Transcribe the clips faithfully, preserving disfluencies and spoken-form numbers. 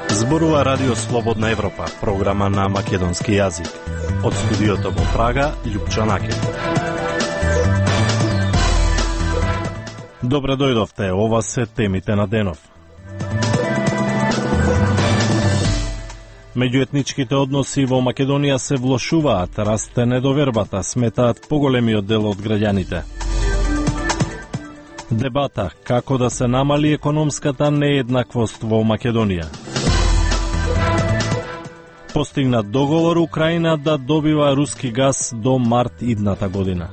Зборува Радио Слободна Европа, програма на македонски јазик. Од студиото во Прага, Љупчо Накев. Добре дојдовте, ова се темите на денов. Меѓуетничките односи во Македонија се влошуваат, расте недовербата, сметаат поголемиот дел од граѓаните. Дебата како да се намали економската нееднаквост во Македонија. Постигнат договор Украина да добива руски газ до март идната година.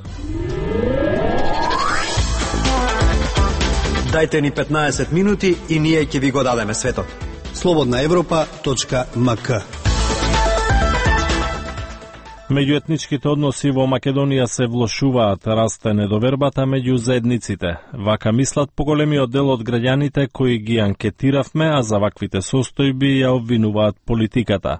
Дајте ни петнаесет минути и ние ќе ви го дадеме светот. слободна европа точка ем ка. Меѓуетничките односи во Македонија се влошуваат, расте недовербата меѓу заедниците. Вака мислат поголемиот дел од граѓаните кои ги анкетиравме, а за ваквите состојби ја обвинуваат политиката.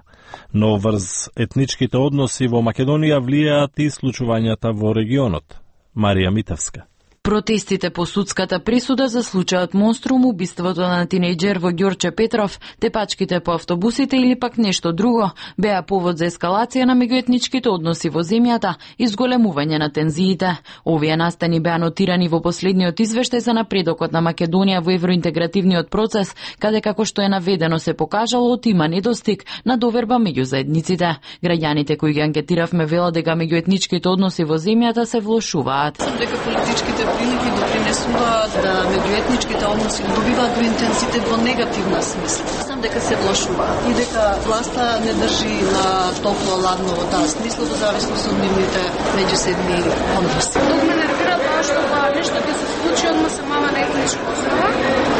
Но врз етничките односи во Македонија влијаат и случувањата во регионот. Марија Митевска. Протестите по судската присуда за случајот Монструм, убиството на тинејџер во Ѓорче Петров, тепачките по автобусите или пак нешто друго, беа повод за ескалација на меѓуетничките односи во земјата и зголемување на тензиите. Овие настани беа нотирани во последниот извештај за напредокот на Македонија во евроинтегративниот процес, каде како што е наведено се покажало има недостиг на доверба меѓу заедниците. Граѓаните кои ги анкетиравме велат дека меѓуетничките односи во земјата се влошуваат. Дека политичките прилики допринесуваат да меѓуетничките односи добиваат до интензитет во негативна смисла. Сам дека се влошуваат и дека власта не држи на топло ладно во таа смисла во зависност од нивните меѓусебни односи. Тук ме нервира тоа што тоа нешто ќе се случи одма самава на етничка основа,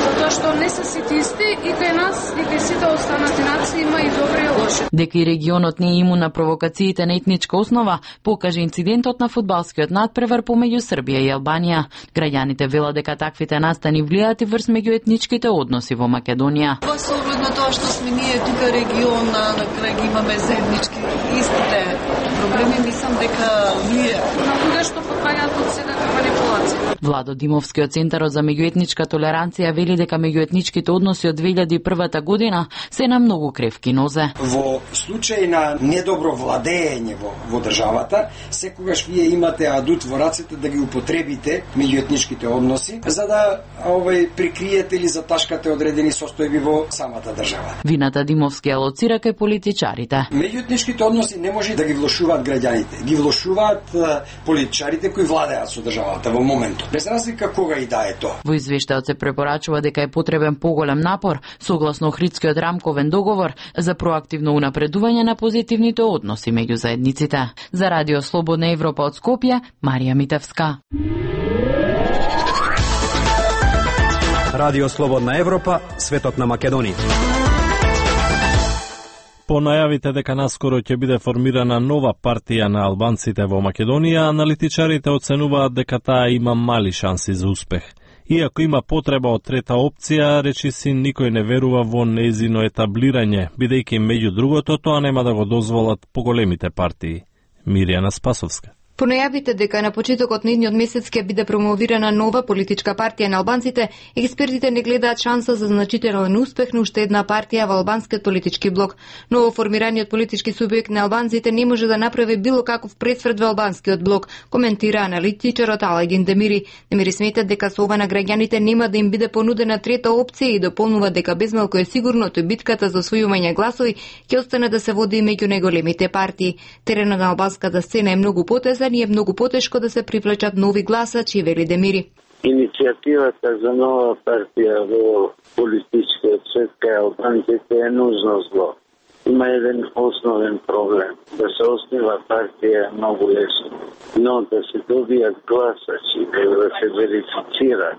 затоа што не се сите исти и кај нас и кај сите останати нации има и добри и лоши. Дека и регионот не е имун на провокациите на етничка основа, покаже инцидентот на фудбалскиот надпревар помеѓу Србија и Албанија. Граѓаните велат дека таквите настани влијаат и врз меѓуетничките односи во Македонија. Па со оглед на тоа што сме ние тука регион, на крај ги имаме заеднички истите проблеми, мислам дека влијаат. На луѓе што покањаат од секака манипулација. Владо Димовски од Центарот за меѓуетничка толеранција вели дека меѓуетничките односи од две илјади и прва година се на многу кревки нозе. Во случај на недобро владење во, во државата, секогаш вие имате адут во рацете да ги употребите меѓуетничките односи за да овој прикриете или заташкате одредени состојби во самата држава. Вината Димовски алоцира кај политичарите. Меѓуетничките односи не може да ги влошуваат граѓаните, ги влошуваат политичарите кои владеат со државата во моментот. Без разлика кога и да е тоа. Во извештајот се препорачува дека е потребен поголем напор согласно Охридскиот рамковен договор за проактивно унапредување на позитивните односи меѓу заедниците. За Радио Слободна Европа од Скопје, Марија Митевска. Радио Слободна Европа, светот на Македонија. По најавите дека наскоро ќе биде формирана нова партија на албанците во Македонија, аналитичарите оценуваат дека таа има мали шанси за успех. Иако има потреба од трета опција, речиси никој не верува во нејзино етаблирање, бидејќи меѓу другото тоа нема да го дозволат поголемите партии. Мирјана Спасовска. По најавите дека на почетокот на идниот месец ќе биде промовирана нова политичка партија на албанците, експертите не гледаат шанса за значителен успех на уште една партија во албанскиот политички блок. Ново формираниот политички субјект на албанците не може да направи било каков пресврт во албанскиот блок, коментира аналитичарот Алагин Демири. Демири смета дека со ова на граѓаните нема да им биде понудена трета опција и дополнува дека безмалку е сигурно тој битката за освојување гласови ќе остане да се води меѓу најголемите партии. Теренот на албанската сцена е многу потезен и е многу потешко да се привлечат нови гласачи, вели Демири. Иницијативата за нова партија во политичкиот свет кај албанците е нужно зло. Има еден основен проблем. Да се основа партија е многу лесно, но да се добијат гласачи, да се верифицира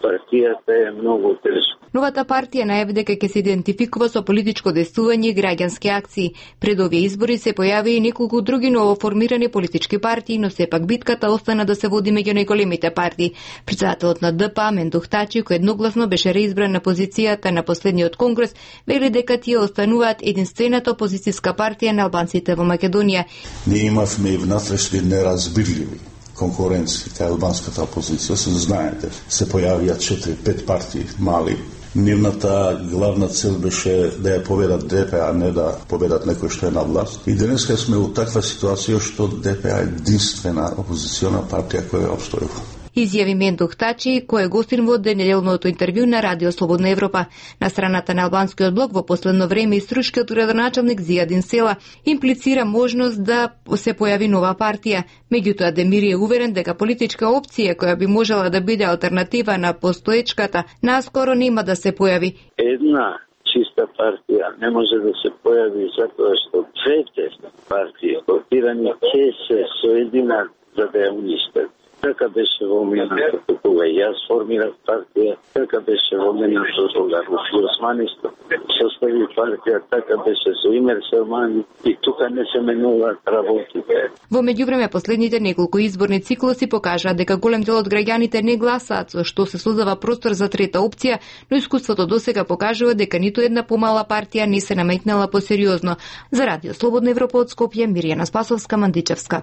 партијата е многу тешко. Новата партија најави дека ќе се идентификува со политичко действување и граѓански акции. Пред овие избори се појави и неколку други новоформирани политички партии, но сепак битката остана да се води меѓу најголемите партии. Председателот на Д П, Мендух Тачи, кој едногласно беше реизбран на позицијата на последниот конгрес, вели дека тие остануваат единствената опозицијска партија на албанците во Македонија. Ние имавме и внатрешни неразбирливи конкуренција кај албанската опозиција, се знаете, се појавија четири-пет партии мали. Нивната главна цел беше да ја победат Д П, а не да победат некој што е на власт. И денеска сме у таква ситуација што Д П е единствена опозициона партија која обстојува. Изјави Мендух Тачи, кој е гостин во денеделното интервју на Радио Слободна Европа. На страната на албанскиот блок во последно време иструшкиот градоначалник Зијадин Села имплицира можност да се појави нова партија. Меѓутоа Демири е уверен дека политичка опција која би можела да биде алтернатива на постоечката наскоро нема да се појави. Една чиста партија не може да се појави затоа што двете партии блокирани ќе се соединат за да ја уништат. Така беше во минатото кога јас формирав партија, така беше во минатото кога Руфи Османисто состави партија, така беше со Имер Селмани и тука не се менуваат работите. Во меѓувреме последните неколку изборни циклуси покажаа дека голем дел од граѓаните не гласаат, со што се создава простор за трета опција, но искуството досега покажува дека ниту една помала партија не се наметнала посериозно. За Радио Слободна Европа од Скопје, Миријана Спасовска, Мандичевска.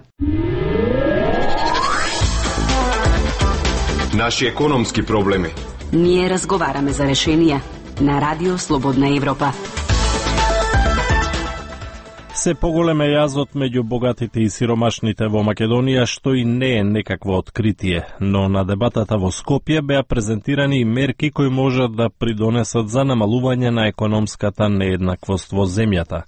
Наши економски проблеми. Ние разговараме за решенија на Радио Слободна Европа. Се поголем е јазот меѓу богатите и сиромашните во Македонија, што и не е некакво откритие, но на дебатата во Скопје беа презентирани и мерки кои можат да придонесат за намалување на економската нееднаквост во земјата.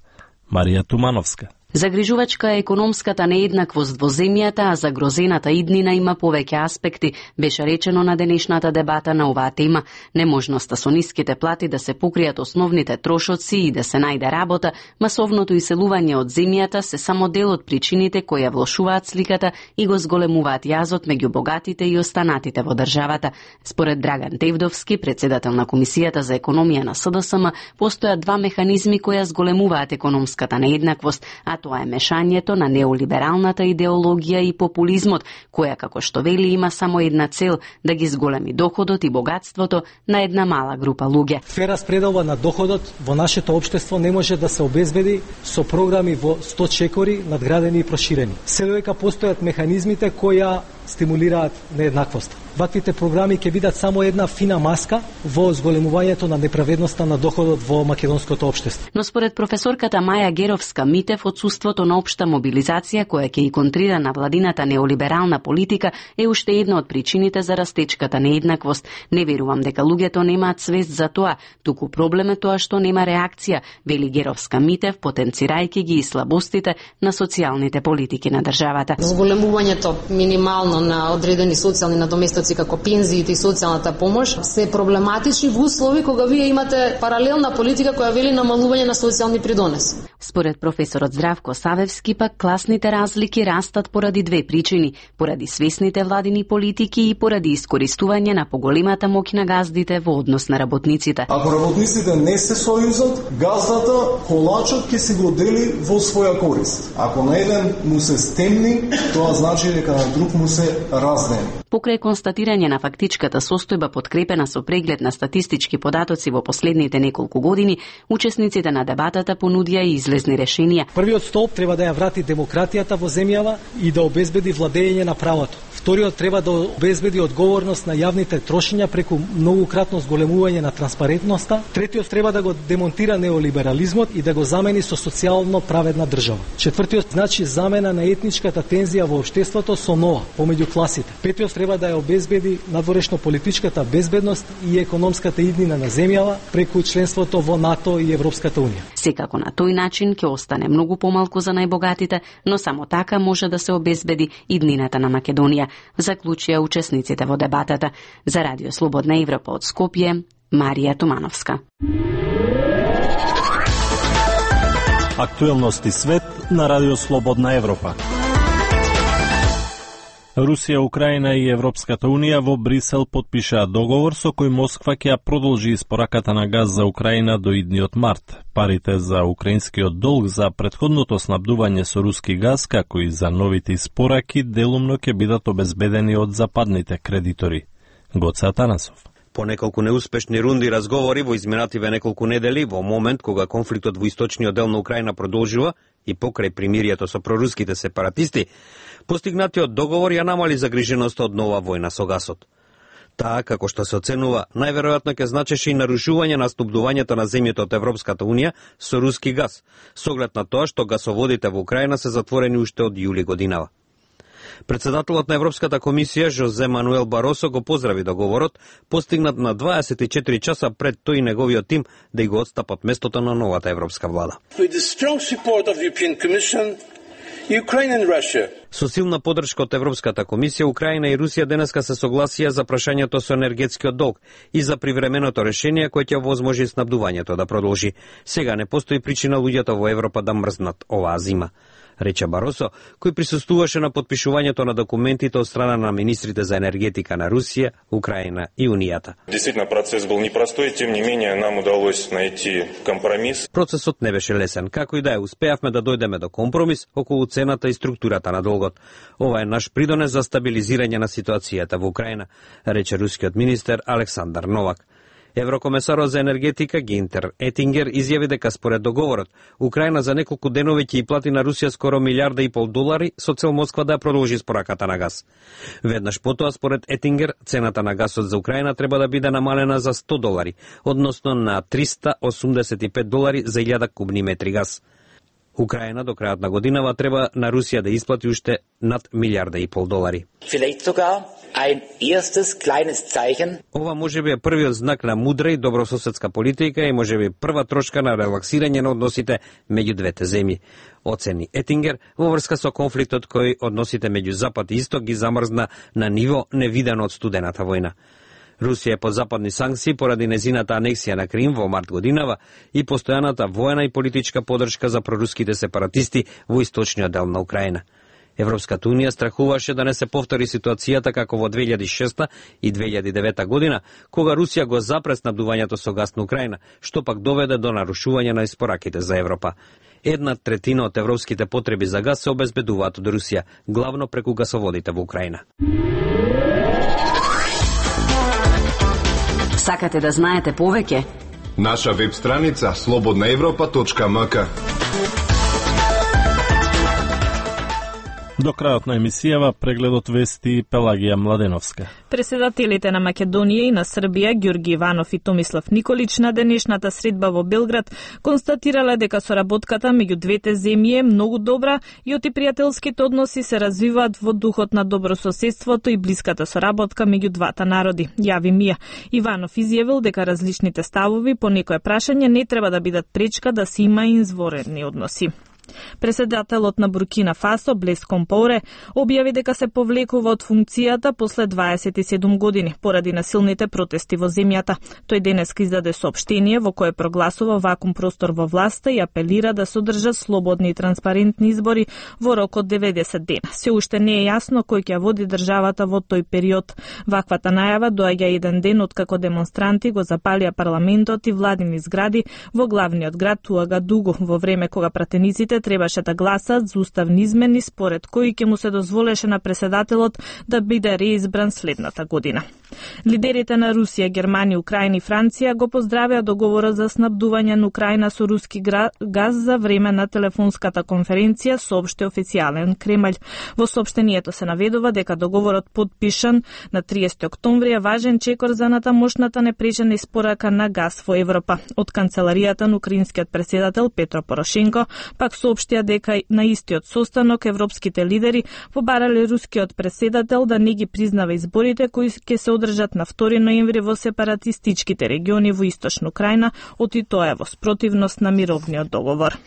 Марија Тумановска. Загрижувачка е економската нееднаквост во земјата, а загрозената иднина има повеќе аспекти, беше речено на денешната дебата на оваа тема. Неможноста со ниските плати да се покријат основните трошоци и да се најде работа, масовното иселување од земјата се само дел од причините кои ја влошуваат сликата и го зголемуваат јазот меѓу богатите и останатите во државата. Според Драган Тевдовски, председател на Комисијата за економија на С Д С М, постојат два механизми кои ја зголемуваат економската нееднаквост, а тоа е мешањето на неолибералната идеологија и популизмот, која, како што вели, има само една цел – да ги зголеми доходот и богатството на една мала група луѓе. Фер распределба на доходот во нашето општество не може да се обезбеди со програми во сто чекори, надградени и проширени. Се додека постојат механизмите кои стимулираат нееднаквост. Ваквите програми ќе бидат само една фина маска во зголемувањето на неправедноста на доходот во македонското општество. Но според професорката Маја Геровска-Митев, отсуството на општа мобилизација која ќе и контрира на владината неолиберална политика е уште една од причините за растечката нееднаквост. Не верувам дека луѓето немаат свест за тоа, туку проблем е тоа што нема реакција, вели Геровска-Митев, потенцирајќи ги и слабостите на социјалните политики на државата. Зголемувањето минимално на одредени социјални надоместоци како пензиите и социјалната помош се проблематични во услови кога вие имате паралелна политика која вели намалување на социјални придонеси. Според професорот Здравко Савевски пак класните разлики растат поради две причини: поради свесните владини политики и поради искористување на поголемата моќ на газдите во однос на работниците. Ако работниците не се сојузат, газдата колачот ќе се го дели во своја корист. Ако на еден му се стемни, тоа значи дека на друг му се раздени. Покрај констатирање на фактичката состојба подкрепена со преглед на статистички податоци во последните неколку години, учесниците на дебатата понудија и излезни решенија. Првиот столб треба да ја врати демократијата во земјава и да обезбеди владење на правото. Вториот треба да обезбеди одговорност на јавните трошења преку многукратно зголемување на транспарентноста. Третиот треба да го демонтира неолиберализмот и да го замени со социјално праведна држава. Четвртиот значи замена на етничката тензија во општеството со нова, помеѓу класите. Петиот треба да ја обезбеди надворешно политичката безбедност и економската иднина на земјава преку членството во НАТО и Европската унија. Секако на тој начин ќе остане многу помалку за најбогатите, но само така може да се обезбеди иднината на Македонија, заклучија учесниците во дебатата. За Радио Слободна Европа од Скопје, Марија Тумановска. Актуелности свет на Радио Слободна Европа. Русија, Украина и Европската Унија во Брисел подпишаа договор со кој Москва ќе продолжи испораката на газ за Украина до идниот март. Парите за украинскиот долг за претходното снабдување со руски газ, како и за новите испораки, делумно ќе бидат обезбедени од западните кредитори. Гоце Атанасов. По неколку неуспешни рунди разговори во изминативе неколку недели, во момент кога конфликтот во источниот дел на Украина продолжува и покрај примирието со проруските сепаратисти, постигнатиот договор ја намали загриженоста од нова војна со гасот. Таа, како што се оценува, најверојатно ќе значеше и нарушување на снабдувањето на земјите од Европската унија со руски газ, со оглед на тоа што гасоводите во Украина се затворени уште од јули годинава. Председателот на Европската комисија Жозе Мануел Баросо го поздрави договорот, постигнат на дваесет и четири часа пред тој и неговиот тим да го отстапат местото на новата европска влада. Со силна поддршка од Европската комисија, Украина и Русија денеска се согласија за прашањето со енергетскиот долг и за привременото решение кое ќе овозможи снабдувањето да продолжи. Сега не постои причина луѓето во Европа да мрзнат оваа зима, рече Баросо, кој присуствуваше на подпишувањето на документите од страна на министрите за енергетика на Русија, Украина и Унијата. Действително процес бил непростой, тем не менее нам удалось найти компромис. Процесот не беше лесен, како и да е, успеавме да дојдеме до компромис околу цената и структурата на долгот. Ова е наш придонес за стабилизирање на ситуацијата во Украина, рече рускиот министер Александар Новак. Еврокомесарот за енергетика Гинтер Етингер изјави дека според договорот Украина за неколку денови ќе и плати на Русија скоро милиарда и пол долари со цел Москва да ја продолжи испораката на газ. Веднаш потоа, според Етингер, цената на газот за Украина треба да биде намалена за сто долари, односно на триста осумдесет и пет долари за илјада кубни метри газ. Украина до крајот на годинава треба на Русија да исплати уште над милиарда и пол долари. Ова можеби е првиот знак на мудра и добрососедска политика и можеби прва трошка на релаксирање на односите меѓу двете земји, оцени Етингер во врска со конфликтот кој односите меѓу Запад и Исток ги замрзна на ниво невидено од студената војна. Русија е под западни санкции поради незината анексија на Крим во март годинава и постојаната воена и политичка поддршка за проруските сепаратисти во источниот дел на Украина. Европската унија страхуваше да не се повтори ситуацијата како во две илјади и шеста и две илјади и девета година, кога Русија го запре снабдувањето со газ на Украина, што пак доведе до нарушување на испораките за Европа. Една третина од европските потреби за газ се обезбедуваат од Русија, главно преку гасоводите во Украина. Сакате да знаете повеќе? Наша веб страница слободна европа точка ем ка. До крајот на емисијава прегледот вести Пелагија Младеновска. Преседателите на Македонија и на Србија, Ѓорги Иванов и Томислав Николич, на денешната средба во Белград констатирале дека соработката меѓу двете земји е многу добра и оти пријателските односи се развиваат во духот на добрососедството и блиската соработка меѓу двата народи, јави Мија. Иванов изјавил дека различните ставови по некое прашање не треба да бидат пречка да се има изворени односи. Преседателот на Буркина Фасо, Блес Компоре, објави дека се повлекува од функцијата после дваесет и седум години, поради насилните протести во земјата. Тој денес издаде соопштение во кое прогласува вакуум простор во власта и апелира да се одржат слободни и транспарентни избори во рок од деветдесет дена. Се уште не е јасно кој ќе води државата во тој период. Ваквата најава доаѓа еден ден откако демонстранти го запалија парламентот и владини згради во главниот град Уагадугу, во време кога пратениците требаше да гласат за уставни измени според кои ќе му се дозволеше на преседателот да биде реизбран следната година. Лидерите на Русија, Германија, Украина и Франција го поздравија договорот за снабдување на Украина со руски газ за време на телефонската конференција, соопшти официјален Кремљ. Во соопштението се наведува дека договорот подпишан на триесети октомври е важен чекор за натамошната непречена испорака на газ во Европа. Од канцеларијата на украинскиот преседател Петро Порошенко пак соопштија дека на истиот состанок европските лидери побарале рускиот преседател да не ги признава изборите кои ќе се одржат на втори ноември во сепаратистичките региони во источна Украина, оти тоа е во спротивност на мировниот договор.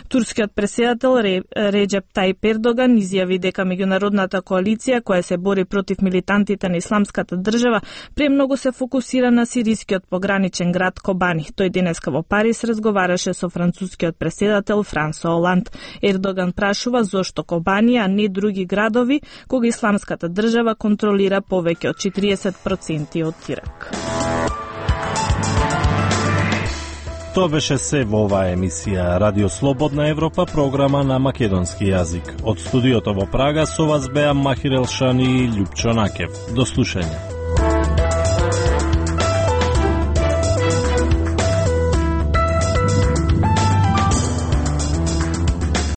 Турскиот преседател Реджеп Тајип Ердоган изјави дека меѓународната коалиција која се бори против милитантите на исламската држава премногу се фокусира на сирискиот пограничен град Кобани. Тој денеска во Париз разговараше со францускиот преседател Франсо Оланд. Ердоган прашува зошто Кобани, а не други градови, кога исламската држава контролира повеќе од четириесет проценти од Ирак. Тоа беше се во оваа емисија Радио Слободна Европа, програма на македонски јазик. Од студиото во Прага со вас беа Махир Елшани и Љупчо Накев. До слушање.